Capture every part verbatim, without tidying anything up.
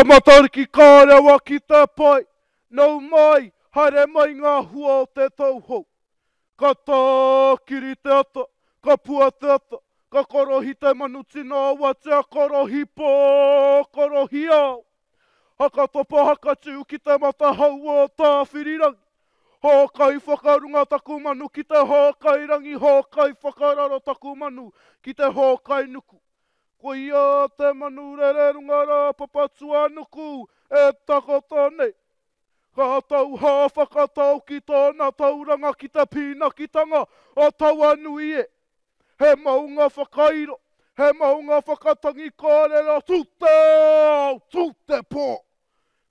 Matariki ka rewa ki te pae, nau mai, haere mai ngā hua o te tau hou. Ka tākiri te ata, ka pua te ata, ka korohi te manu tino awatea, korohi pō, korohi ao. Haka topa haka tiu ki te matahau o Tāwhirirangi. Hōkai whakarunga taku manu ki te hōkai rangi, hōkai whakararo taku manu ki te hōkai nuku. Koia te manu rere runga rā Papatūānuku e takoto nei. Ka tau hā whakatau ki tōna tauranga ki te pīnakitanga o Tauanui e. He maunga whakairo, he maunga whakatangi kōrero, tū te ao, tū te pō.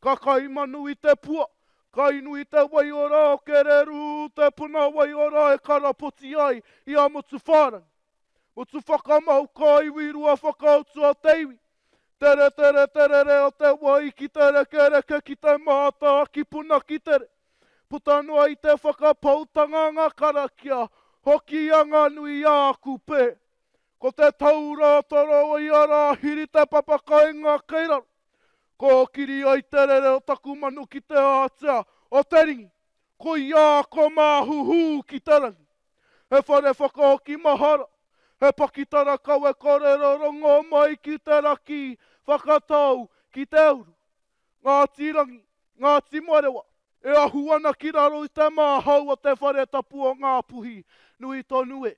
Ka kai manu i te pua, ka inu i te waiora o Kererū, te puna waiora e karapoti ai i a Motuwhārangi. Motu whakamau ka iwi rua whakautu a te iwi. Tere tere terere o te wai ki te rekereke ki te mātā ki puna ki tere. Puta noa i te whakapoutanga ngā karakia, hoki a ngā nui a Kupe. Ko te taura toro i a Rāhiri te papakainga kei raro. Kōkiri ai te rere o taku manu ki te ātea o te ringi. Koia ko Māhuhu ki te rangi. He whare whakahoki mahara, he pakitara kawe kōrero rongo mai ki te raki, whakatau ki te uru. Ngāti Rangi, Ngāti Marewa, e ahu ana ki raro i te māhau o te whare tapu o Ngāpuhi, nui tonu e.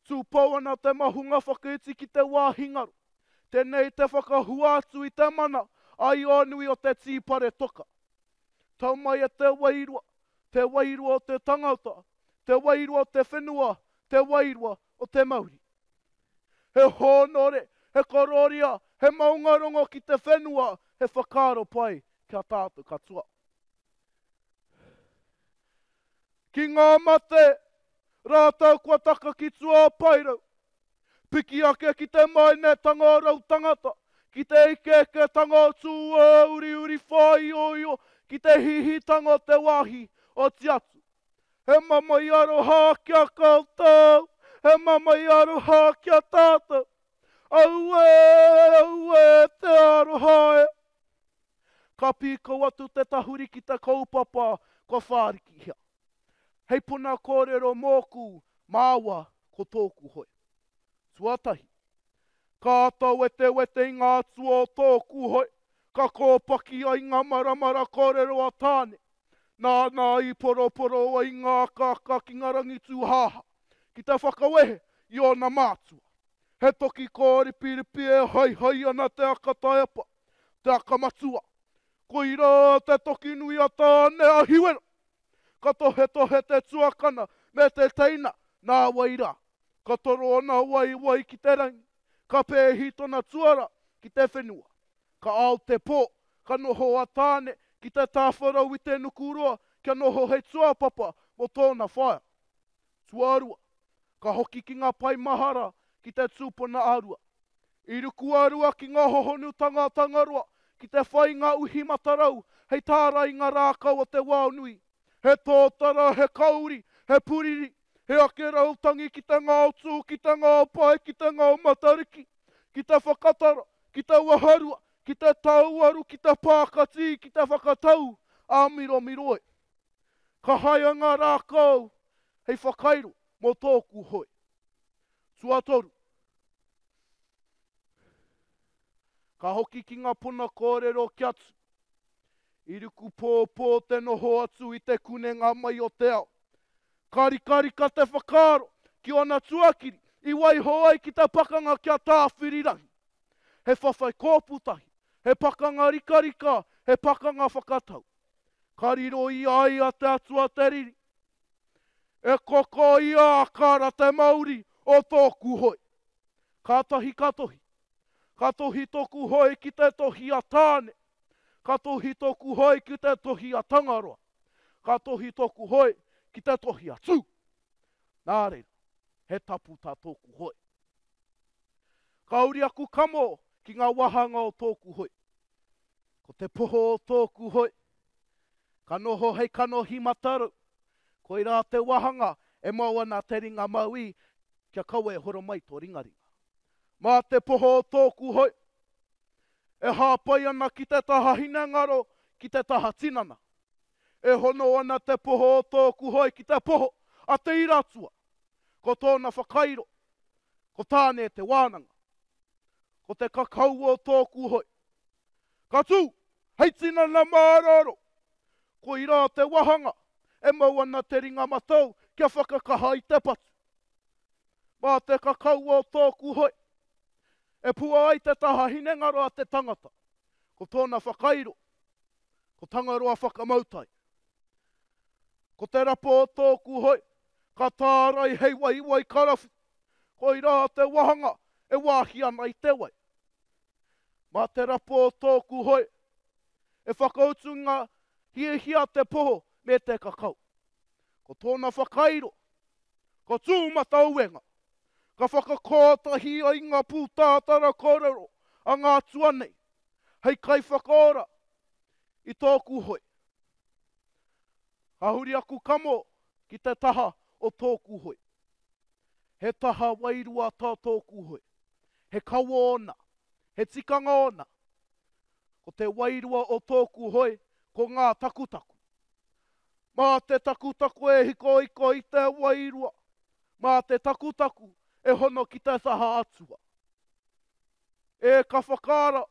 Tūpou ana te mahunga whakaiti ki te wāhi ngaro. Tēnei te whakahua atu i te mana aionui o te tīpare toka. Tau mai e te wairua, te wairua o te tangata, te wairua o te whenua, te wairua o te mauri. He hōnore, he kororia, he maungarongo ki te whenua, he whakaaro pai kia tātou katoa. Ki ngā mate, rātou kua taka ki tua o Paerau, piki ake ki te mainetanga o rau tangata, ki te ikeiketanga o tū uriuri whāioio, ki te hihitanga o te wāhi o Tiatu. He mamae aroha ki a koutou, he mamae aroha ki a tātou. Auē, auē, te aroha e. Ka pīkau atu te tahuri ki te kaupapa kua whārikihia. Hei puna kōrero mōku, māua ko tōku hoe. Tuatahi, ka āta wetewete i ngā atua o tōku hoe, ka kōpaki ai ngā maramara kōrero a Tāne. Nāna i poroporo ai ngā akaaka ki ngā rangi tūhāhā, ki te whakawehe i ōna mātua. He toki kōripiripi e haihai ana te aka taiapa, te aka matua. Koirā te toki nui a Tāne a Hiwera. Ka tohetohe te tuakana me te teina, nā wai rā. Ka toro ana waewae ki te rangi, ka pēhi tōna tuara ki te whenua. Ka ao te pō, ka noho a Tāne ki te tāwharau i te nukuroa kia noho hei tuapapa mō tōna whaea. Tuarua, ka hoki ki ngā pae mahara ki te tūpuna ā-rua. I ruku a Rua ki ngā hohonutanga Tangaroa ki te whai ngā uhi matarau hei tārai ngā rākau o te wao nui. He tōtara, he kauri, he puriri, he ake rautangi ki te ngao tū, ki te ngao pae, ki te ngao matariki, ki te whakatara, ki te waharua, ki te tauaru, ki te pākati, ki te whakatau, āmiromiro e. Ka haea ngā rākau hei whakairo mō tōku hoe. Tuatoru, ka hoki ki ngā puna kōrero ki atu. I ruku pōpō te noho atu i te kunenga mai o te ao. Ka rikarika te whakaaro ki ōna tuakiri i waiho ai ki te pakanga ki a Tāwhirirangi. He whawhai kōputahi, he pakanga rikarika, he pakanga whakatau. Ka riro i a ia te atua te riri. E koko ia a Kara te mauri o tōku hoe. Kātahi ka tohi. Ka tohi tōku hoe ki te tohi a Tāne. Ka tohi tōku hoe ki te tohi a Tangaroa. Ka tohi tōku hoe ki te tohi a Tū. Nā reira, he tapu tā tōku hoe. Ka uri aku kamo ki ngā wāhanga o tōku hoe. Ko te poho o tōku hoe, ka noho hei kanohi matarau. Koirā te wāhanga e mau ana te ringa mauī kia kaua e horo mai tō ringaringa. Mā te poho o tōku hoe, E hāpai ana ki te taha hinengaro, ki te taha tinana. E hono ana te poho o tōku hoe ki te poho a te ira atua. Ko tōna whakairo, ko Tāne te wānanga. Ko te kakau o tōku hoe. Ka tū, hei tinana mārooro. Koirā te wahanga e mau ana te ringa matau kia whakakaha i te patu. Mā te kakau o tōku hoe, e pua ai te taha hinengaro a te tangata. Ko tōna whakairo, ko Tangaroa whakamautai. Ko te rapo o tōku hoe, ka tārai hei waiwai karawhi. Koirā te wahanga e wāhi ana i te wai. Mā te rapo o tōku hoe, e whakautu ngā hiahia te poho me te kakau. Ko tōna whakairo, ko Tūmatauenga, ka whakakōtahi ai ngā pūtātara kōrero a ngā atua nei, hei kaiwhakaora i tōku hoe. Ka huri aku kamo ki te taha o tōku hoe. He taha wairua tā tōku hoe. He kawa ōna, he tikanga ōna. Ko te wairua o tōku hoe, ko ngā takutaku. Mā te takutaku e hikohiko i te wairua, mā te takutaku e hono ki te taha atua. E ka whakaara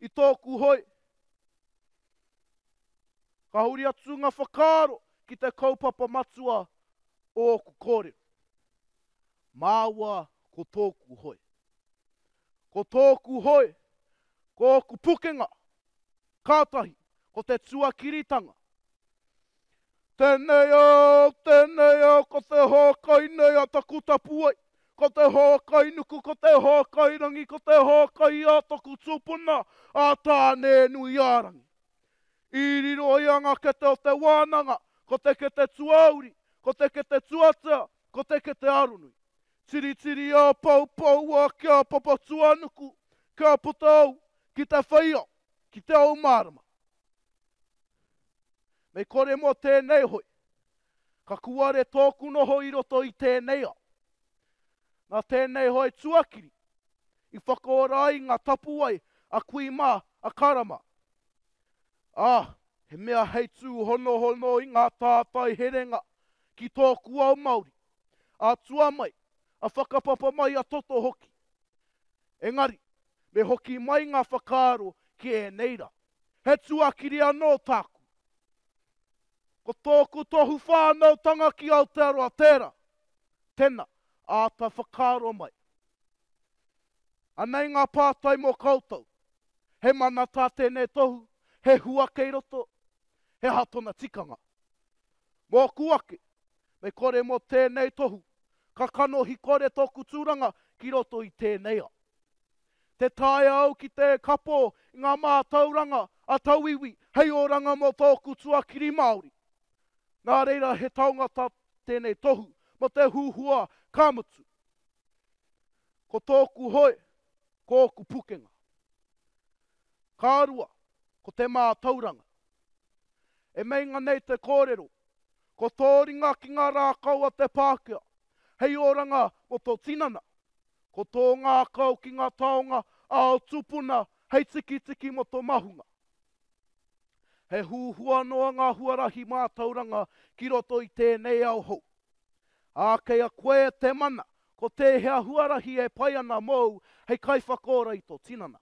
i tōku hoe. Ka huri atu ngā whakaaro ki te kaupapa matua o ōku kōrero. Māua ko tōku hoe. Ko tōku hoe, ko ōku pukenga. Kātahi, ko te tuakiritanga. Tēnei au, tēnei au, ko te hōkai nei a taku tapuwae, ko te hōkai nuku, ko te hōkai rangi, ko te hōkai a taku tupuna, a Tāne-nui-ā-rangi. I riro i a ngā kete o te wānanga, ko te kete tuauri, ko te kete tuatea, ko te kete aronui. Tiritiri a poupoua ki a Papatūānuku, kia puta au ki te whai ao, ki te ao mārama. Me kore mō tēnei hoi, ka kuare tōku noho i roto i tēnei ao. Nā tēnei hoi tuakiri, i whakaora ai ngā tapuwae a kui mā, a kara mā. Ā, he mea hei tūhonohono i ngā tātai herenga ki tōku ao Māori, a tua mai, a whakapapa mai a toto hoki. Engari, me hoki mai ngā whakaaro ki ēnei rā. He tuakiri anō tāku. Ko tōku tohu whānautanga ki Aotearoa tērā. Tēnā, āta whakaaro mai. Anei ngā pātai mō koutou. He mana tā tēnei tohu, he hua kei roto, he aha tōna tikanga. Mōku ake, me kore mō tēnei tohu, ka kanohi kore tōku tūranga ki roto i tēnei ao. Te taea au ki te kapo i ngā mātauranga a tauiwi hei oranga mō tōku tuakiri Māori. Nā reira he taonga tā tēnei tohu mō te huhua ka mutu. Ko tōku hoe, ko ōku pukenga. Ka rua, ko te mātauranga. E meinga nei te kōrero, ko tō ringa ki ngā rākau a te Pākehā, hei oranga mō tō tinana. Ko tō ngākau ki ngā taonga a ō tupuna hei tikitiki mō tō mahunga. He huhua noa ngā huarahi mātauranga ki roto i tēnei ao hou. Ā, kei a koe te mana, ko tēhea huarahi e pai ana mōu hei kaiwhakaora i tō tinana.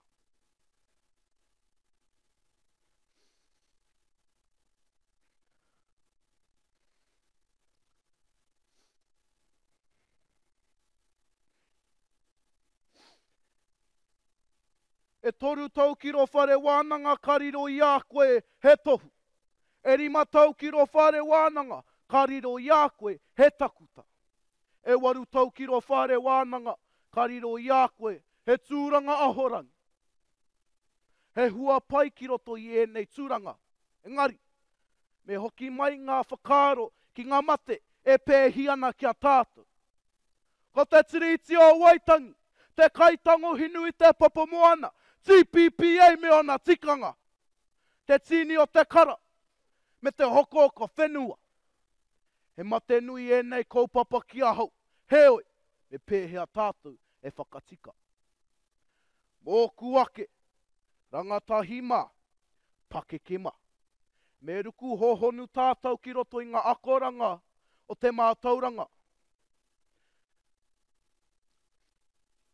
E toru tau ki rō whare wānanga ka riro i a koe he tohu. E rima tau ki rō whare wānanga ka riro i a koe he takuta. E waru tau ki rō whare wānanga ka riro i a koe he tūranga ahorangi. He hua pai ki roto i ēnei tūranga. Engari, me hoki mai ngā whakaaro ki ngā mate e pēhi ana ki a tātou. Ko te Tiriti o Waitangi, te kaitango hinu i te papamoana, T P P A me ōna tikanga, te tīni o te kara, me te hokohoko whenua. He mate nui ēnei kaupapa ki ahau, heoi, me pēhea tātou e whakatika. Mōku ake, Rangatahi mā, pakeke mā. Me ruku hōhonu tātou ki roto i ngā akoranga o te mātauranga.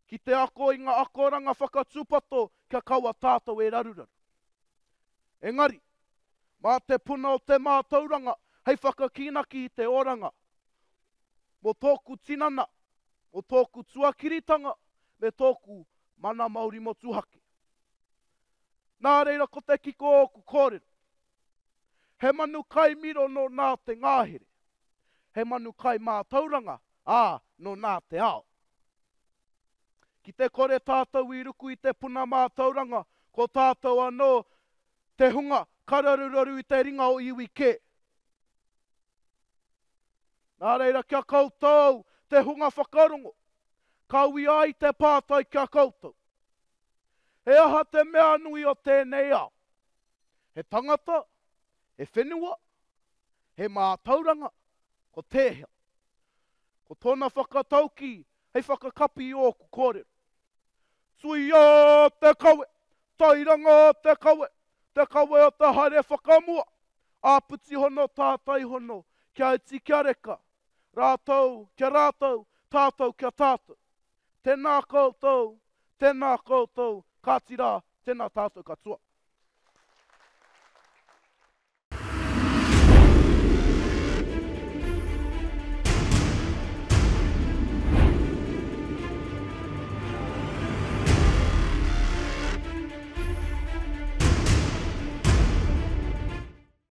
Ki te ako i ngā akoranga whakatūpato kia kaua tātou e raruraru. Engari, mā te puna o te mātauranga hei whakakīnaki i te oranga. Mō tōku tinana, mō tōku tuakiritanga, me tōku mana Māori motuhake. Nā reira ko te kiko o ōku kōrero. He manu kai miro nō nā te ngahere. He manu kai mātauranga, ā, nō nā te ao. Ki te kore tātou i ruku i te puna mātauranga, ko tātou anō te hunga ka raruraru i te ringa o iwi kē. Nā reira ki a koutou te hunga whakarongo, ka uia ai te pātai ki a koutou. He aha te mea nui o tēnei ao? He tangata, he whenua, he mātauranga, ko tēhea? Ko tōna whakataukī hei whakakapi i ōku kōrero. Tuia te kawe, tairanga te kawe, te kawe o te haere whakamua, āpiti hono tātai hono, kia iti kia reka, rātou kia rātou, tātou kia tātou. Tēnā koutou, tēnā koutou, kāti rā, tēnā tātou katoa.